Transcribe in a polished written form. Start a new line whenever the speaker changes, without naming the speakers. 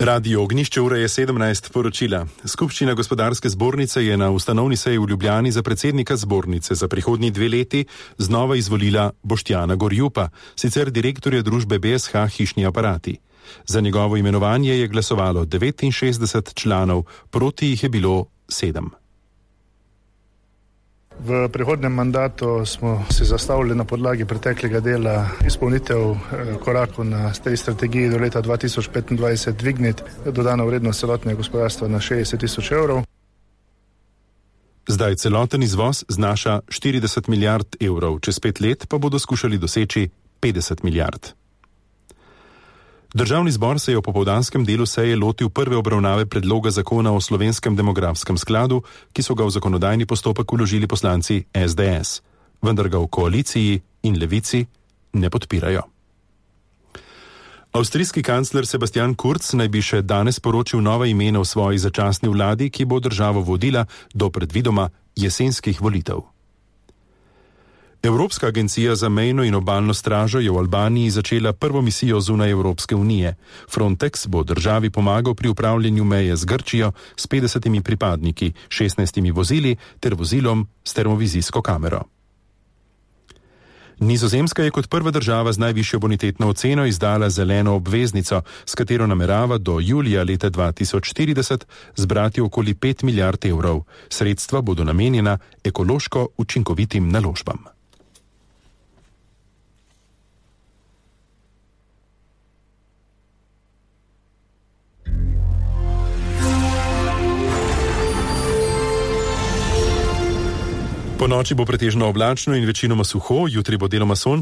Radio Ognjišče, ura je 17, poročila. Skupščina gospodarske zbornice je na ustanovni seji v Ljubljani za predsednika zbornice za prihodnji 2 leti znova izvolila Boštjana Gorjupa, sicer direktorja družbe BSH Hišni aparati. Za njegovo imenovanje je glasovalo 69 članov, proti jih je bilo 7.
V prihodnem mandatu smo se zastavili na podlagi preteklega dela izpolnitev korakov na tej strategiji do leta 2025 dvigniti dodano vrednost celotnega gospodarstva na 60 tisoč evrov.
Zdaj celoten izvoz znaša 40 milijard evrov, čez 5 let pa bodo skušali doseči 50 milijard. Državni zbor se je v popoldanskem delu seje lotil prve obravnave predloga zakona o slovenskem demografskem skladu, ki so ga v zakonodajni postopek vložili poslanci SDS, vendar ga v koaliciji in levici ne podpirajo. Avstrijski kancler Sebastian Kurz naj bi še danes poročil nova imena v svoji začasni vladi, ki bo državo vodila do predvidoma jesenskih volitev. Evropska agencija za mejno in obalno stražo je v Albaniji začela prvo misijo zunaj Evropske unije. Frontex bo državi pomagal pri upravljanju meje z Grčijo s 50 pripadniki, 16 vozili ter vozilom s termovizijsko kamero. Nizozemska je kot prva država z najvišjo bonitetno oceno izdala zeleno obveznico, s katero namerava do julija leta 2040 zbrati okoli 5 milijard evrov. Sredstva bodo namenjena ekološko učinkovitim naložbam. Po noči bo pretežno oblačno in večinoma suho, jutri bo deloma sončno.